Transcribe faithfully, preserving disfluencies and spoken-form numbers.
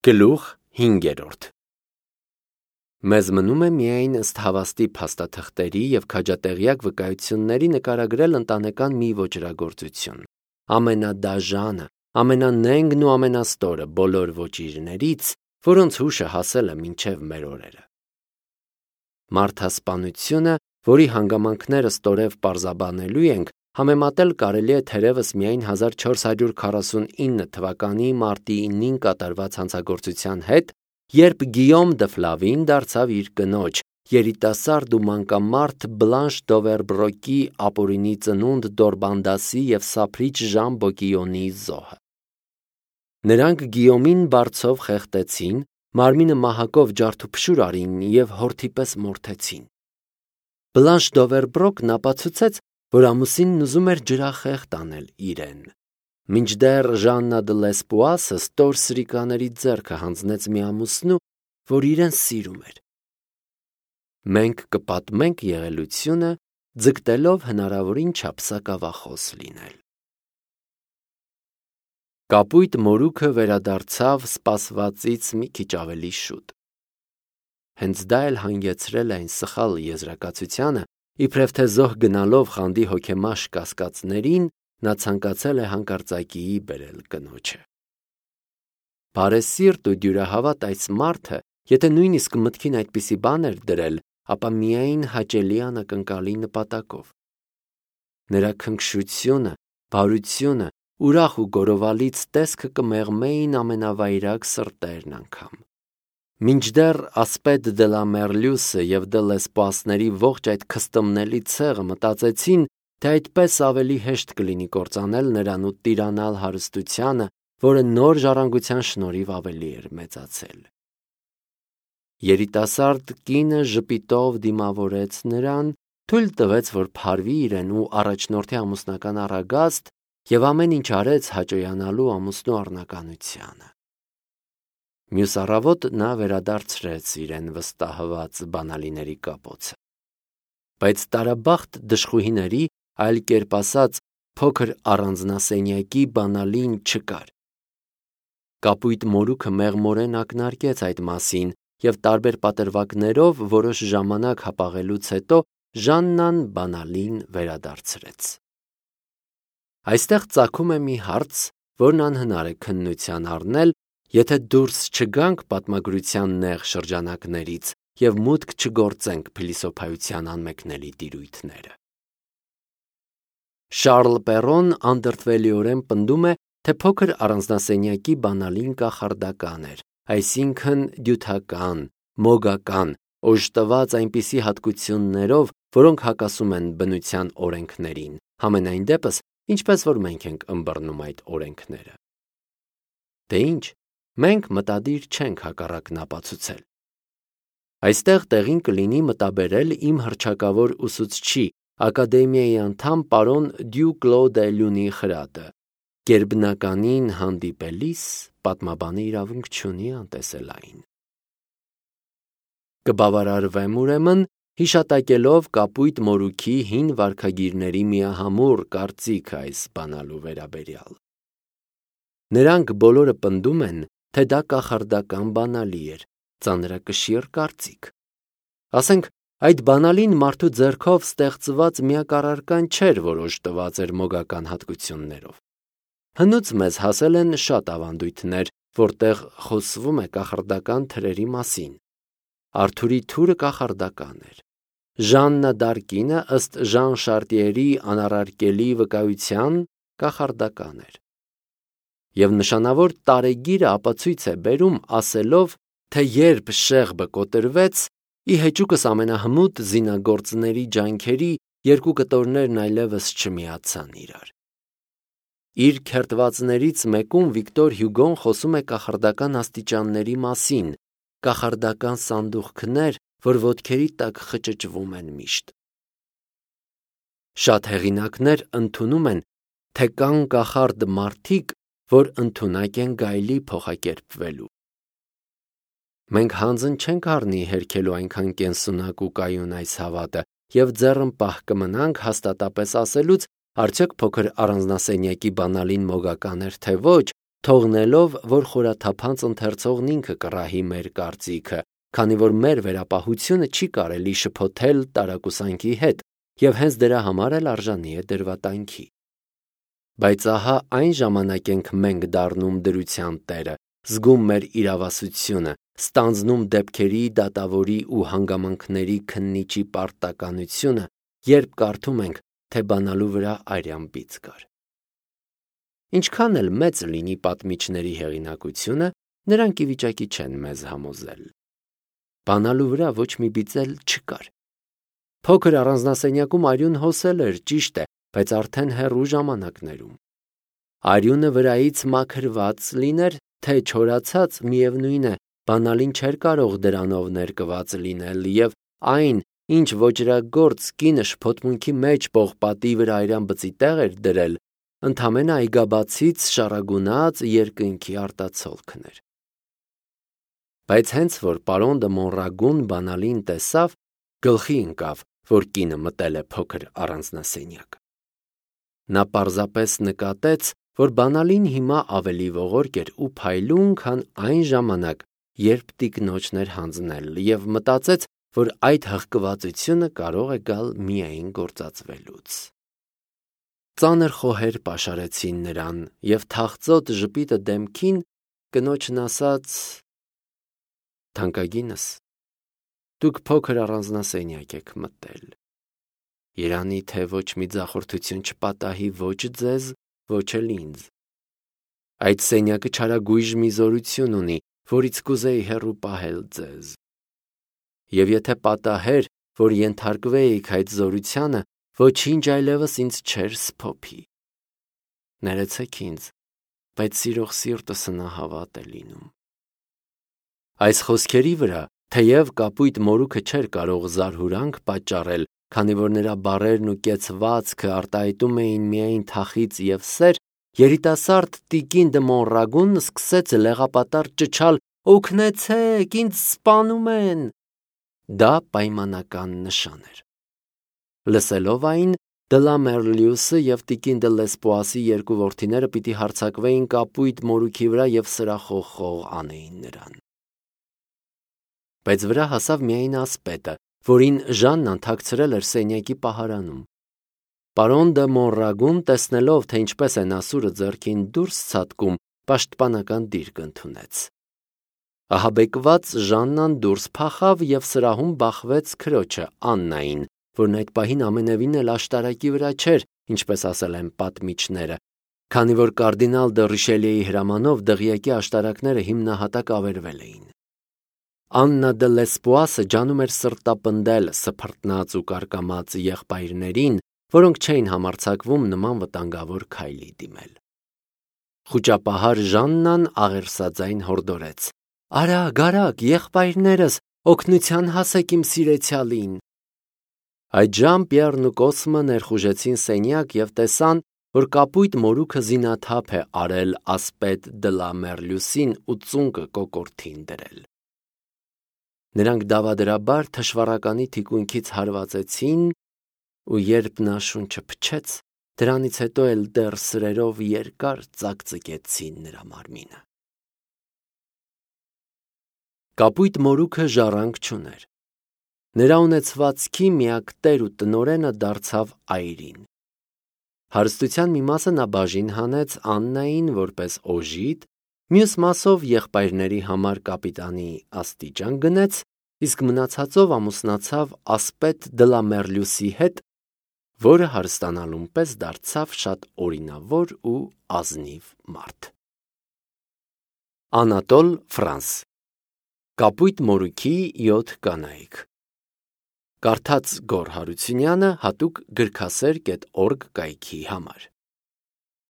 Գլուխ հինգերորդ Մեզ մնում է միայն ըստ հավաստի փաստաթղթերի և քաջատեղյակ վկայությունների նկարագրել ընտանեկան մի ոճրագործություն, ամենադաժանը, ամենանենգն ու ամենաստորը բոլոր ոճիրներից, որոնց հուշը հասել է մինչև մեր օրերը։ Մարդասպանությունը, որի հանգամանքները ստորև պարզաբանելու ենք, համեմատել կարելի է թերևս միայն հազար չորս հարյուր քառասունինը թվականի մարտի ինին կատարված հանցագործության հետ, երբ Գիյոմ դը Ֆլավին դարձավ իր կնոջ, երիտասարդ ու մանկամարդ Բլանշ Դովերբրոկի ապօրինի ծնունդ Դորբանդասի և սափրիչ Ժան Բոկիոնիի զոհը։ Նրանք Գիյոմին բարձով խեղդեցին, մարմինը մահակով ջարդուփշուր արին և հորթի պես մորթեցին։ Բլանշ Դովերբրոկն ապացուցեց, որ ամուսինն ուզում էր ջրախեղդ անել իրեն, մինչդեռ Ժաննա դը Լեսպուասը ստոր սրիկաների ձեռքը հանձնեց մի ամուսնու, որ իրեն սիրում էր։ Մենք կպատմենք եղելությունը, ձգտելով հնարավորին չափ սակավախոս լինել։ Կապույտ մորուքը վերադարձավ սպասվածից մի քիչ ավելի շուտ։ Հենց դա էլ հանգեցրել է այն սխալ եզրակացությանը, իբրև թե զոհ գնալով խանդի հոգեմաշ կասկածներին, նա ցանկացել է հանկարծակիի բերել կնոջը։ Բարեսիրտ ու դյուրահավատ այս մարդը, եթե նույնիսկ մտքին այդպիսի բան էր դրել, ապա միայն հաճելի անակնկալի նպատակով։ Նրա քնքշությունը, բարությունը, ուրախ ու գորովալից տեսքը կմեղմեին ամենավայրագ սրտերն անգամ։ Մինչդեռ Ասպեդ դե լա Մերլյուսը և դե Լեսպուասների ողջ այդ քստմնելի ցեղը մտածեցին, թե այդպես ավելի հեշտ կլինի կործանել նրան ու տիրանալ հարստությանը, որը նոր ժառանգության շնորհիվ ավելի էր մեծացել։ Երիտասարդ կինը ժպիտով դիմավորեց նրան, թույլ տվեց, որ փարվի իրեն ու առաջնորդի ամուսնական առագաստ և ամեն ինչ արեց հաճոյանալու ամուսնու առնականությանը։ Մյուս առավոտ նա վերադարձրեց իրեն վստահված բանալիների կապոցը։ Բայց տարաբախտ դժխուհիների, այլ կերպ ասած, փոքր առանձնասենյակի բանալին չկար։ Կապույտ մորուքը մեղմորեն ակնարկեց այդ մասին և տարբեր պատրվակներով որոշ ժամանակ հապաղելուց հետո Ժաննան բանալին վերադարձրեց։ Այստեղ ծագում է մի հարց, որն անհնար է քննության առնել, եթե դուրս չգանք պատմագրության նեղ շրջանակներից և մուտք չգործենք փիլիսոփայության անմեկնելի տիրույթները։ Շառլ Պերոն անդրդվելիորեն պնդում է, թե փոքր առանձնասենյակի բանալին կախարդական էր, այսինքն դյութական, մոգական, օժտված այնպիսի հատկություններով, որոնք հակասում են բնության օրենքներին, համենայն դեպս, ինչպես որ մենք ենք ըմբռնում այդ օրենքները։ Դե ինչ, մենք մտադիր չենք հակառակն ապացուցել։ Այստեղ տեղին կլինի մտաբերել իմ հռչակավոր ուսուցչի, ակադեմիայի անդամ պարոն Դյու Կլոդ Էլյունի խրատը. գերբնականին հանդիպելիս պատմաբանը իրավունք չունի անտեսել այն։ Կբավարարվեմ ուրեմն, հիշատակելով կապույտ մորուքի հին վարքագիրների միահամուռ կարծիքը այս բանալու վերաբերյալ։ Նրանք բոլորը պնդում են, թե դա կախարդական բանալի էր, ծանրակշիռ կարծիք։ Ասենք, այդ բանալին մարդու ձեռքով ստեղծված միակ առարկան չէր, որ օժտված էր մոգական հատկություններով։ Հնուց մեզ հասել են շատ ավանդույթներ, որտեղ խոսվում է կախարդական թրերի մասին։ Արթուրի թուրը կախարդական էր։ Ժաննա դ'Արկինը ըստ Ժան Շարտիերի անառարկելի վկայության կախարդական էր։ Եվ նշանավոր տարեգիրը ապացույց է բերում ասելով, թե երբ Շեղբը կոտրվեց, ի հեճուկս ամենահմուտ զինագործների ջանքերի երկու կտորներն այլևս չմիացան իրար։ Իր քերթվածներից մեկում Վիկտոր Հյուգոն խոսում է կախարդական աստիճանների մասին, կախարդական սանդուղքներ, որ ոտքերի տակ խճճվում են միշտ։ Շատ հեղինակներ ընդունում են, թե կան կախարդ մարդիկ, որ ընդունակ են գայլի փոխակերպվելու։ Մենք հանձն չենք առնի հերքելու այնքան կենսունակ ու կայուն այս հավատը և ձեռն պահ կմնանք հաստատապես ասելուց, արդյոք փոքր առանձնասենյակի բանալին մոգական էր, թե ոչ, թողնելով, որ խորաթափանց ընթերցողն ինքը կռահի մեր կարծիքը, քանի որ մեր վերապահությունը չի կարելի շփոթել տարակուսանքի հետ և հենց դրա համար էլ արժանի է դրվատանքի։ Բայց ահա այն ժամանակ ենք մենք դառնում դրության տերը, զգում մեր իրավասությունը, ստանձնում դեպքերի, դատավորի ու հանգամանքների քննիչի պարտականությունը, երբ կարդում ենք, թե բանալու վրա արյան բիծ կար։ Ինչքան էլ մեծ լինի պատմիչների հեղինակությունը, նրանք ի վիճակի չեն մեզ համոզել։ Բանալու վրա ոչ մի բիծ էլ չկար։ Փոքր առանձնասենյակում արյուն հոսել էր, ճիշտ է, բայց արդեն հեռու ժամանակներում։ Արյունը վրայից մաքրված լիներ, թե չորացած, միևնույն է, բանալին չէր կարող դրանով ներկված լինել, և այն, ինչ ոճրագործ կինը շփոթմունքի մեջ պողպատի վրա արյան բծի տեղ էր դրել, ընդամենը այգաբացից շառագունած երկնքի արտացոլքն էր։ Բայց հենց որ պարոն դը Մոնրագուն բանալին տեսավ, գլխի ընկավ, որ կինը մտել է փոքր առանձնասենյակ։ Նա պարզապես նկատեց, որ բանալին հիմա ավելի ողորկ էր ու փայլուն, քան այն ժամանակ, երբ տիկնոջն էր հանձնել, և մտածեց, որ այդ հղկվածությունը կարող է գալ միայն գործածվելուց։ Ծանր խոհեր պաշարեցին նրան, և թախծոտ ժպիտը դեմքին կնոջն ասաց. «Թանկագինս, դուք փոքր առանձնասենյակ եք մտել։ Երանի թե ոչ մի ձախորդություն չպատահի ոչ ձեզ, ոչ էլ ինձ։ Այդ սենյակը չարագույժ մի զորություն ունի, որից կուզեի հեռու պահել ձեզ։ Եվ եթե պատահեր, որ ենթարկվեիք այդ զորությանը, ոչինչ այլևս ինձ չէր սփոփի։ Ներեցեք ինձ, բայց սիրող սիրտս նահավատ է լինում»։ Այս խոսքերի վրա, թեև կապույտ մորուքը չէր կարող զարհուրանք պատճառել, քանի որ նրա բառերն ու կեցվածքը արտահայտում էին միայն թախիծ և սեր, երիտասարդ տիկին դը Մոնրագունն սկսեց լեղապատառ ճչալ. «Օգնեցե՛ք, ինձ սպանում են»։ Դա պայմանական նշան էր։ Լսելով այն, դը Լա Մերլյուսը և տիկին դը Լեսպուասի երկու որդիները պիտի հարձակվեին կապույտ մորուքի վրա և սրախոխող անեին նրան։ Բայց վրա հասավ միայն ասպետը, որին Ժաննան թաքցրել էր սենյակի պահարանում։ Պարոն դը Մոնրագուն, տեսնելով, թե ինչպես է Ասուրը ձեռքին դուրս ցատկում, պաշտպանական դիրք ընդունեց։ Ահաբեկված Ժաննան դուրս փախավ և սրահում բախվեց քրոջը Աննային, որն այդ պահին ամենևին էլ աշտարակի վրա չէր, ինչպես ասել են պատմիչները, քանի որ կարդինալ դը Ռիշելիեի հրամանով դղյակի աշտարակները հիմնահատակ ավերվել էին։ Աննա դը Լեսպուասը ջանում էր սրտապնդել սփռտնած ու կարկամած եղբայրներին, որոնք չէին համարձակվում նման վտանգավոր քայլի դիմել։ Խուճապահար Ժաննան աղերսաձայն հորդորեց. «Արագ, արագ, եղբայրներս, օգնության հասեք իմ սիրեցյալին»։ Այդժամ Պիեռն ու Կոսմը ներխուժեցին սենյակ և տեսան, որ կապույտ մորուքը զինաթափ է արել ասպետ դը Լա Մերլյուսին ու ծունկը կոկորդին դրել։ Նրանք դավադրաբար թշվառականի թիկունքից հարվածեցին, ու երբ նա շունչը փչեց, դրանից հետո էլ դեռ սրերով երկար ծակծկեցին նրա մարմինը։ Կապույտ մորուքը ժառանգ չուներ։ Նրա ունեցվածքի միակ տեր ու տնօրենը դարձավ այրին։ Հարստության մի մասը նա բաժին հանեց Աննային որպես օժիտ, մյուս մասով եղբայրների համար կապիտանի աստիճան գնեց, իսկ մնացածով ամուսնացավ ասպետ դը Լա Մերլյուսի հետ, որը հարստանալուն պես դարձավ շատ օրինավոր ու ազնիվ մարդ։ Անատոլ Ֆրանս Կապույտ մորուքի յոթ կանայք Կարդաց Գոռ Հարությունյանը հատուկ գրքասեր կետ օրգ կայքի համար։